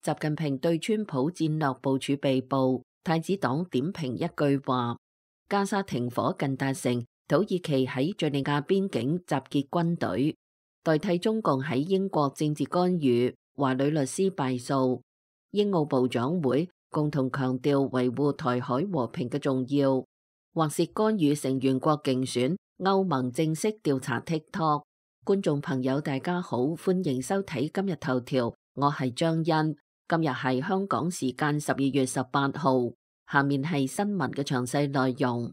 習近平對川普戰略部署被捕，太子黨點評一句話：加沙停火近達成，土耳其喺敘利亞邊境集結軍隊，代替中共喺英國政治干預，華女律師敗訴。英澳部長會共同強調維護台海和平嘅重要，或是干預成員國競選，歐盟正式調查 TikTok。觀眾朋友大家好，歡迎收睇今日頭條，我係張欣。今日係香港時間12月18號，下面係新聞嘅詳細內容。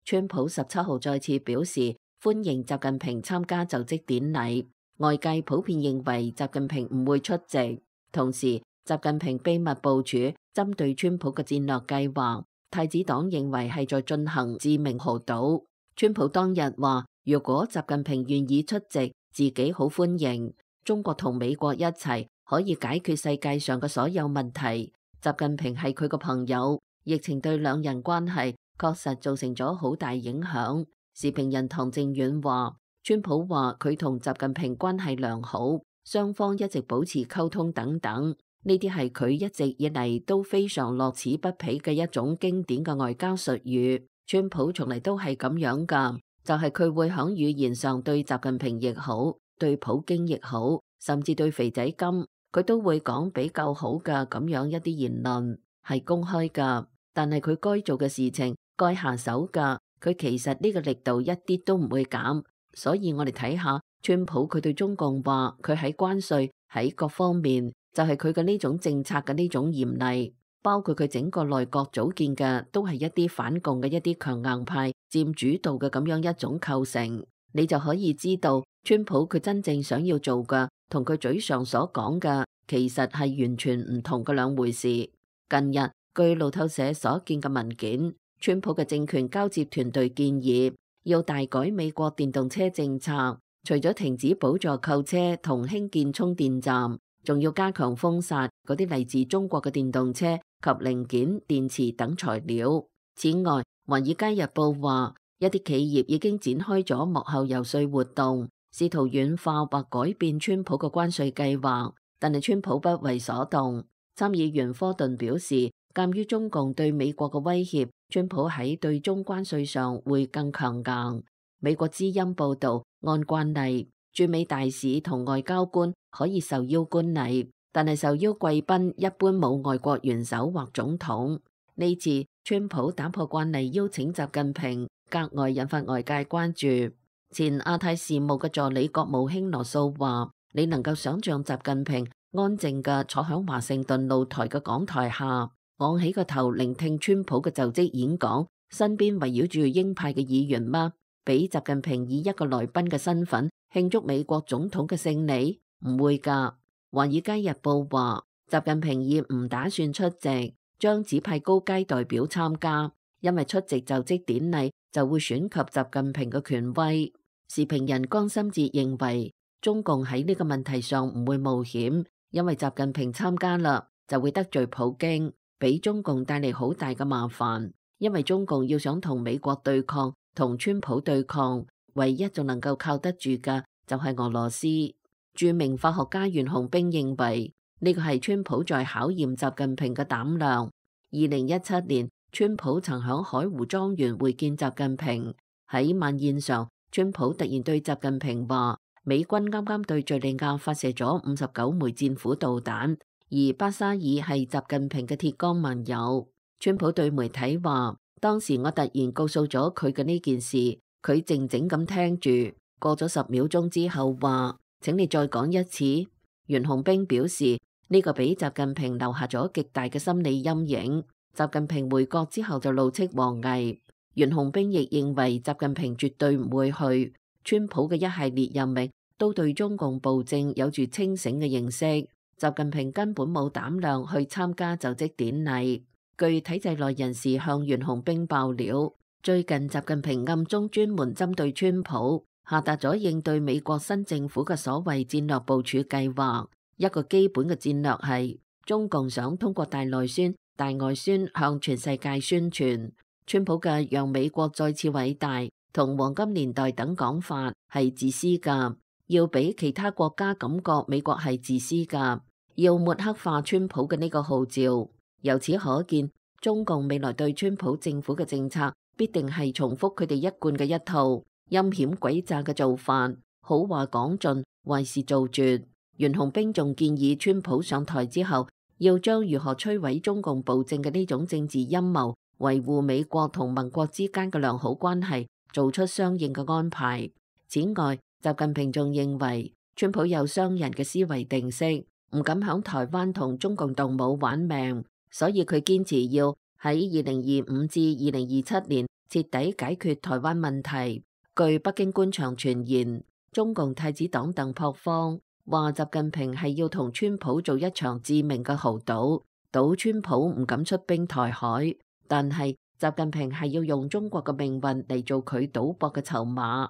川普17號再次表示歡迎習近平參加就職典禮，外界普遍認為習近平唔會出席。同時，習近平秘密部署針對川普嘅戰略計劃，太子黨認為係在進行致命豪賭。川普當日話，如果習近平願意出席，自己好歡迎。中國同美國一齊可以解決世界上嘅所有問題。習近平係佢個朋友，疫情對兩人關係確實造成咗好大影響。時評人唐正遠話，川普話佢同習近平關係良好，雙方一直保持溝通等等。呢啲係佢一直以嚟都非常樂此不疲嘅一種經典嘅外交術語。川普從嚟都係咁樣㗎，就係佢會喺語言上對習近平亦好，對普京亦好，甚至對肥仔金，佢都會講比較好嘅咁樣一啲言論，係公開㗎。但係佢該做嘅事情，該下手㗎，佢其實呢個力度一啲都唔會減。所以我哋睇下川普佢對中共話，佢喺關稅喺各方面。就係佢嘅呢種政策嘅呢種嚴厲，包括佢整個內閣組建嘅都係一啲反共嘅一啲強硬派佔主導嘅咁樣一種構成，你就可以知道川普佢真正想要做嘅同佢嘴上所講嘅其實係完全唔同嘅兩回事。近日據路透社所見嘅文件，川普嘅政權交接團隊建議要大改美國電動車政策，除咗停止補助購車同興建充電站，仲要加強封殺嗰啲嚟自中國嘅電動車及零件、電池等材料。此外，《華爾街日報》話，一啲企業已經展開咗幕後遊說活動，試圖軟化或改變川普嘅關稅計劃，但係川普不為所動。參議員科頓表示，鑑於中共對美國嘅威脅，川普喺對中關稅上會更強硬。美國之音報導，按慣例，駐美大使同外交官可以受邀觀禮，但係受邀貴賓一般冇外國元首或總統。呢次川普打破慣例邀請習近平，格外引發外界關注。前亞太事務嘅助理國務卿羅素話，你能夠想象習近平安靜嘅坐響華盛頓露台嘅講台下，昂起個頭聆聽川普嘅就職演講，身邊圍繞住鷹派嘅議員嗎？俾習近平以一個來賓嘅身份慶祝美國總統嘅勝利？唔會㗎。華爾街日報話，習近平已唔打算出席，將只派高階代表參加，因為出席就職典禮就會損及習近平嘅權威。時評人江心哲認為，中共喺呢個問題上唔會冒險，因為習近平參加啦，就會得罪普京，俾中共帶嚟好大嘅麻煩。因為中共要想同美國對抗，同川普對抗，唯一仲能夠靠得住嘅就係俄羅斯。著名法學家袁洪兵認為，呢個係川普在考驗習近平嘅膽量。2017年，川普曾響海湖莊園會見習近平，喺晚宴上，川普突然對習近平話，美軍啱啱對敘利亞發射咗59枚戰斧導彈，而巴沙爾係習近平嘅鐵桿盟友。川普對媒體話，當時我突然告訴咗佢嘅呢件事，佢靜靜咁聽住，過咗10秒鐘之後話，請你再講一次。袁洪兵表示，呢個俾習近平留下咗極大嘅心理陰影。習近平回國之後就怒斥王毅。袁洪兵亦認為習近平絕對唔會去。川普嘅一系列任命都對中共暴政有住清醒嘅認識。習近平根本冇膽量去參加就職典禮。據體制內人士向袁洪兵爆料，最近習近平暗中專門針對川普，下達咗應對美國新政府嘅所謂戰略部署計劃。一個基本嘅戰略係，中共想通過大內宣、大外宣向全世界宣傳川普嘅讓美國再次偉大同黃金年代等講法係自私㗎。要俾其他國家感覺美國係自私㗎，要抹黑化川普嘅呢個號召。由此可見，中共未來對川普政府嘅政策必定係重複佢哋一貫嘅一套陰險詭詐嘅做法，好話講盡，壞事做絕。袁洪兵仲建議川普上台之後，要將如何摧毀中共暴政嘅呢種政治陰謀，維護美國同盟國之間嘅良好關係，做出相應嘅安排。此外，習近平仲認為川普有商人嘅思維定式，唔敢響台灣同中共動武玩命，所以佢堅持要喺2025至2027年徹底解決台灣問題。據北京官場傳言，中共太子黨鄧樸方話習近平係要同川普做一場致命嘅豪賭，賭川普唔敢出兵台海，但係習近平係要用中國嘅命運嚟做佢賭博嘅籌碼。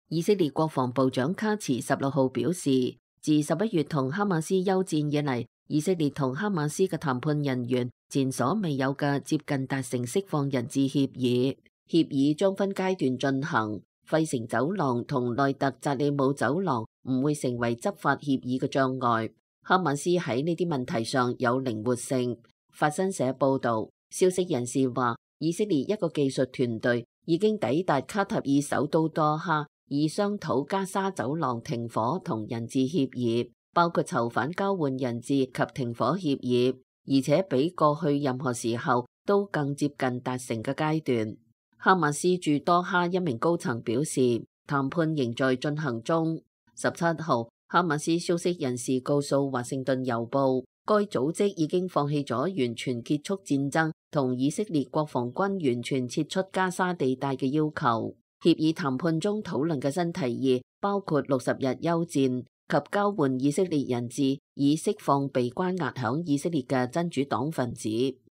以色列國防部長卡茨16號表示，自11月同哈馬斯休戰以嚟，以色列同哈馬斯嘅談判人員前所未有嘅接近達成釋放人質協議，協議將分階段進行。費城走廊同內特扎里姆走廊唔會成為執法協議嘅障礙。哈馬斯喺呢啲問題上有靈活性。法新社報導，消息人士話，以色列一個技術團隊已經抵達卡塔爾首都多哈，以商討加沙走廊停火同人質協議，包括囚犯交換人質及停火協議，而且比過去任何時候都更接近達成嘅階段。哈馬斯駐多哈一名高層表示，談判仍在進行中。17號，哈馬斯消息人士告訴華盛頓郵報，該組織已經放棄咗完全結束戰爭同以色列國防軍完全撤出加沙地帶嘅要求。協議談判中討論嘅新提議包括60日休戰及交換以色列人質，以釋放被關押響以色列嘅真主黨分子。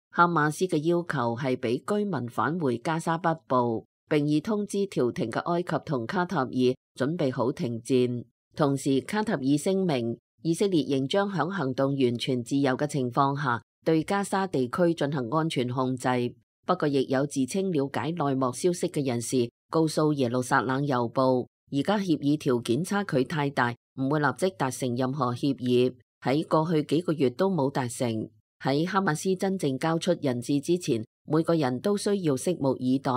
哈馬斯嘅要求係俾居民返回加沙北部，並已通知調停嘅埃及同卡塔爾準備好停戰。同時，卡塔爾聲明，以色列仍將響行動完全自由嘅情況下，對加沙地區進行安全控制。不過，亦有自稱了解內幕消息嘅人士告訴耶路撒冷郵報，而家協議條件差距太大，唔會立即達成任何協議。喺過去幾個月都冇達成。喺哈馬斯真正交出人質之前，每個人都需要拭目以待。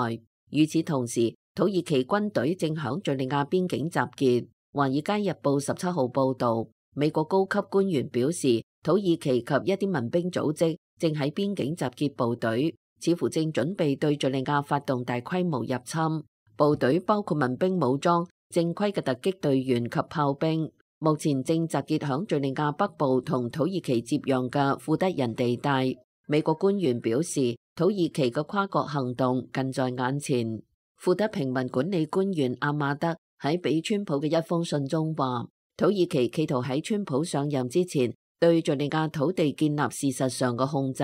與此同時，土耳其軍隊正響敘利亞邊境集結。華爾街日報17號報導，美國高級官員表示，土耳其及一啲民兵組織正喺邊境集結部隊，似乎正準備對敘利亞發動大規模入侵。部隊包括民兵武裝、正規嘅突擊隊員及炮兵。目前正集結響敘利亞北部同土耳其接壤嘅庫德人地帶。美國官員表示，土耳其嘅跨國行動近在眼前。庫德平民管理官員阿馬德喺俾川普嘅一封信中話，土耳其企圖喺川普上任之前對敘利亞土地建立事實上嘅控制。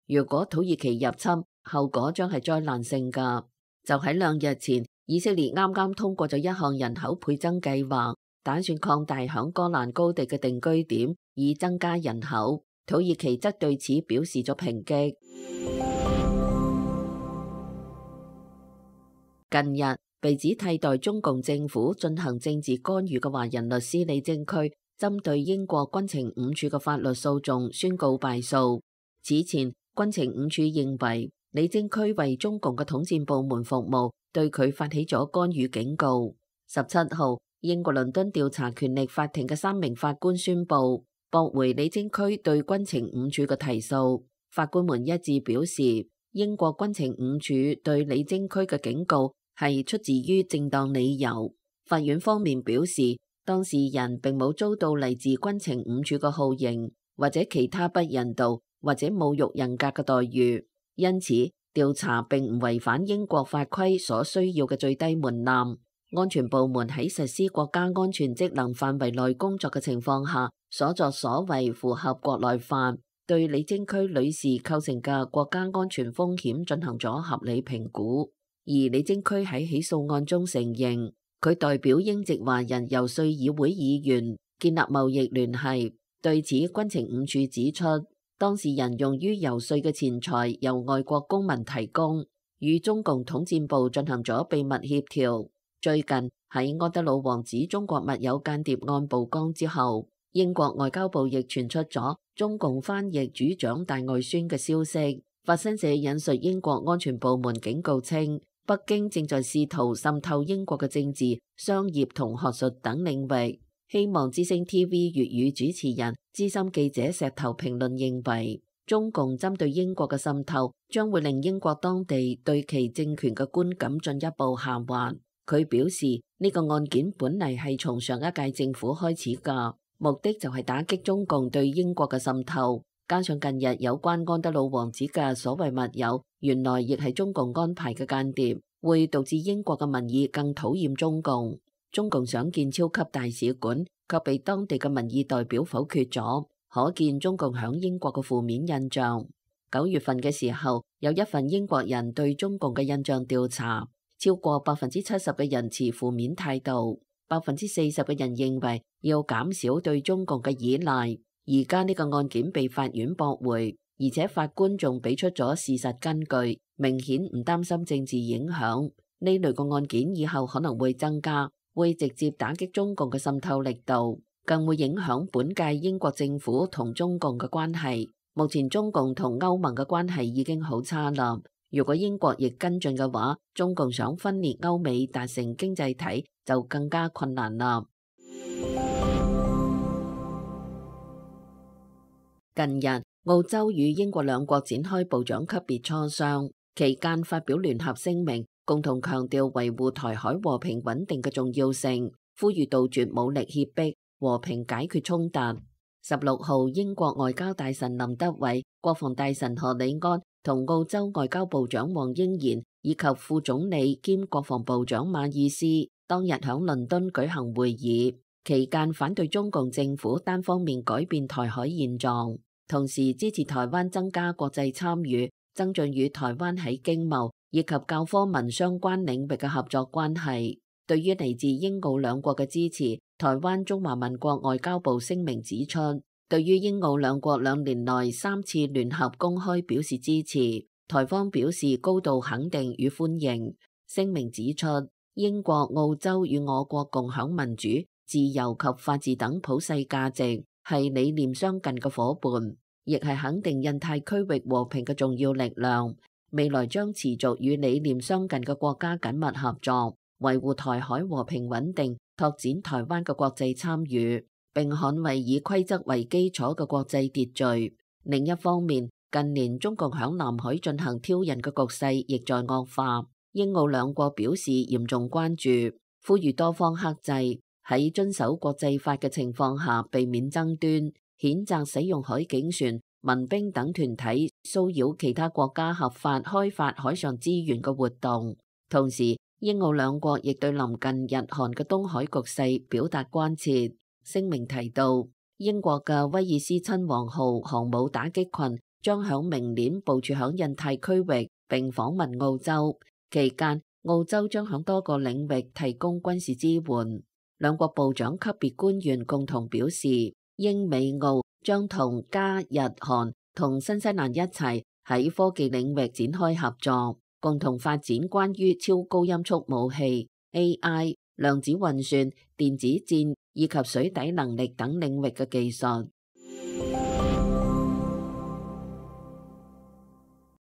如果土耳其入侵，後果將係災難性㗎。就喺2日前，以色列啱啱通過咗一項人口倍增計劃，打算擴大響戈蘭高地嘅定居點，以增加人口。土耳其則對此表示咗抨擊。近日，被指替代中共政府進行政治干預嘅華人律師李貞駒，針對英國軍情五處嘅法律訴訟宣告敗訴。此前，軍情五處認為李貞駒為中共嘅統戰部門服務，對佢發起咗干預警告。17號，英國倫敦調查權力法庭嘅3名法官宣布駁回李貞駒對軍情五處嘅提訴。法官們一致表示，英國軍情五處對李貞駒嘅警告係出自於正當理由。法院方面表示，當事人並冇遭到嚟自軍情五處嘅酷刑或者其他不人道或者侮辱人格嘅待遇，因此調查並唔違反英國法規所需要嘅最低門檻。安全部門喺實施國家安全職能範圍內工作嘅情況下，所作所為符合國內法，對李貞駒女士構成嘅國家安全風險進行咗合理評估。而李貞駒喺起訴案中承認，佢代表英籍華人遊說議會議員建立貿易聯繫。對此，軍情五處指出，當事人用於遊說嘅錢財由外國公民提供，與中共統戰部進行咗秘密協調。最近喺安德魯王指中國密有間諜案曝光之後，英國外交部亦傳出咗中共翻譯主掌大外宣嘅消息。法新社引述英國安全部門警告稱，北京正在試圖滲透英國嘅政治、商業同學術等領域。希望之聲 TV 粵語主持人、資深記者石頭評論認為，中共針對英國嘅滲透將會令英國當地對其政權嘅觀感進一步下滑。佢表示，呢個案件本嚟係從上一屆政府開始㗎，目的就係打擊中共對英國嘅滲透。加上近日有關安德魯王子嘅所謂密友，原來亦係中共安排嘅間諜，會導致英國嘅民意更討厭中共。中共想建超級大使館，卻被當地嘅民意代表否決咗，可見中共響英國嘅負面印象。9月份嘅時候，有一份英國人對中共嘅印象調查，超過70%嘅人持負面態度，40%嘅人認為要減少對中共嘅依賴。而家呢個案件被法院駁回，而且法官仲俾出咗事實根據，明顯唔擔心政治影響。呢類個案件以後可能會增加，會直接打擊中共嘅滲透力度，更會影響本屆英國政府同中共嘅關係。目前中共同歐盟嘅關係已經好差啦，如果英國亦跟進嘅話，中共想分裂歐美達成經濟體就更加困難啦。近日，澳洲與英國兩國展開部長級別磋商，期間發表聯合聲明，共同強調維護台海和平穩定嘅重要性，呼籲杜絕武力脅迫，和平解決衝突。16號，英國外交大臣林德偉、國防大臣何里安同澳洲外交部長黃英賢以及副總理兼國防部長馬爾斯當日響倫敦舉行會議，期間反對中共政府單方面改變台海現狀，同時支持台灣增加國際參與，增進與台灣喺經貿以及教科文相關領域嘅合作關係。對於嚟自英澳兩國嘅支持，台灣中華民國外交部聲明指出，對於英澳兩國2年內3次聯合公開表示支持，台方表示高度肯定與歡迎。聲明指出，英國、澳洲與我國共享民主、自由及法治等普世價值，係理念相近嘅夥伴，亦係肯定印太區域和平嘅重要力量。未來將持續與理念相近嘅國家緊密合作，維護台海和平穩定，拓展台灣嘅國際參與，並捍衛以規則為基礎嘅國際秩序。另一方面，近年中共響南海進行挑釁嘅局勢亦在惡化，英澳兩國表示嚴重關注，呼籲多方克制，喺遵守國際法嘅情況下避免爭端，譴責使用海警船、民兵等團體騷擾其他國家合法開發海上資源嘅活動。同時，英澳兩國亦對臨近日韓嘅東海局勢表達關切。聲明提到，英國嘅威爾斯親王號航母打擊群將響明年部署響印太區域並訪問澳洲，期間澳洲將響多個領域提供軍事支援。兩國部長級別官員共同表示，英美澳將同加日韓同新西蘭一齊喺科技領域展開合作，共同發展關於超高音速武器、AI、量子運算、電子戰以及水底能力等領域嘅技術。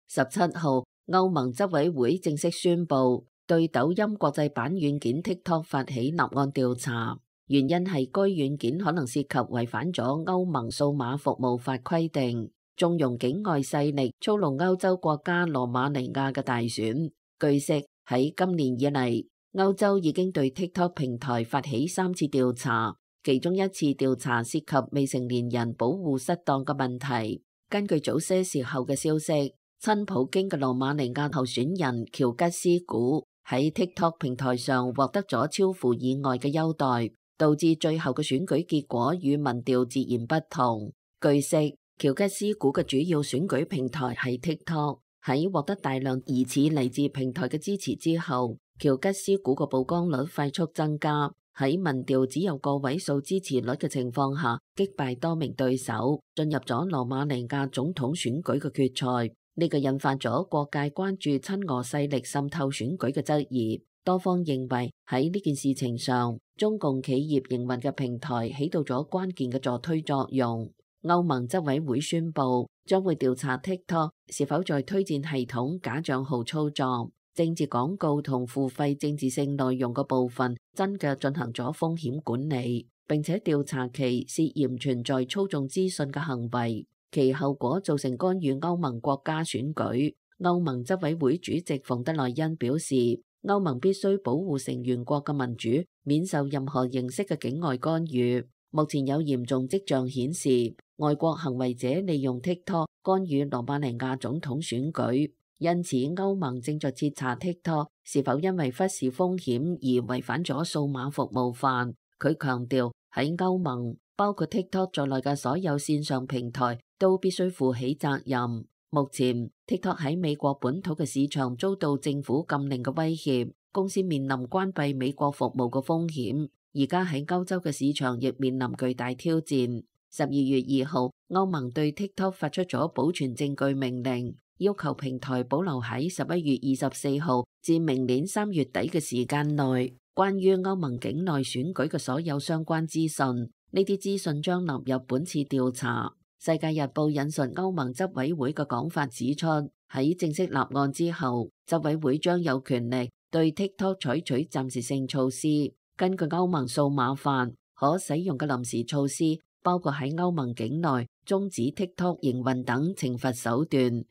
17號，歐盟執委會正式宣布對抖音國際版軟件 TikTok 發起立案調查，原因係該軟件可能涉及違反咗歐盟數碼服務法規定，縱容境外勢力操弄歐洲國家羅馬尼亞嘅大選。據悉，喺今年以嚟，歐洲已經對 TikTok 平台發起3次調查，其中一次調查涉及未成年人保護失當嘅問題。根據早些時候嘅消息，親普京嘅羅馬尼亞候選人喬吉斯古喺 TikTok 平台上獲得咗超乎意外嘅優待，導致最後嘅選舉結果與民調截然不同。據悉，喬吉斯古嘅主要選舉平台係 TikTok， 喺獲得大量疑似嚟自平台嘅支持之後，喬吉斯古嘅曝光率快速增加，喺民調只有個位數支持率嘅情況下，擊敗多名對手，進入咗羅馬尼亞總統選舉嘅決賽。呢個引發咗各界關注親俄勢力滲透選舉嘅質疑。多方認為喺呢件事情上，中共企業營運嘅平台起到咗關鍵嘅助推作用。歐盟執委會宣布將會調查 TikTok 是否在推薦系統假帳號操作、政治廣告同付費政治性內容嘅部分真嘅進行咗風險管理，並且調查其涉嫌存在操縱資訊嘅行為，其後果造成干預歐盟國家選舉。歐盟執委會主席馮德萊恩表示，歐盟必須保護成員國嘅民主免受任何形式嘅境外干預。目前有嚴重跡象顯示，外國行為者利用 TikTok 干預羅馬尼亞總統選舉，因此歐盟正在徹查 TikTok 是否因為忽視風險而違反咗數碼服務法。佢強調喺歐盟，包括 TikTok 在內嘅所有線上平台都必須負起責任。目前 TikTok 喺美國本土嘅市場遭到政府禁令嘅威脅，公司面臨關閉美國服務嘅風險。而家喺歐洲嘅市場亦面臨巨大挑戰。12月2號，歐盟對 TikTok 發出咗保存證據命令，要求平台保留喺11月24號至明年3月底嘅時間內，關於歐盟境內選舉嘅所有相關資訊。呢啲資訊將納入本次調查。世界日報引述歐盟執委會嘅講法指出，喺正式立案之後，執委會將有權力對 TikTok 採取暫時性措施。根據歐盟數碼法，可使用嘅臨時措施包括喺歐盟境內終止 TikTok 營運等懲罰手段。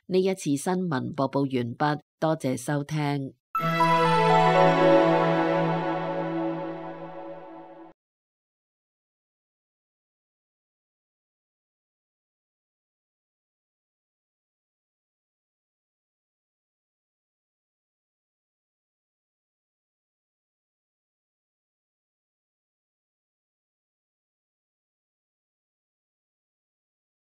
呢一次新聞播報完畢，多謝收聽。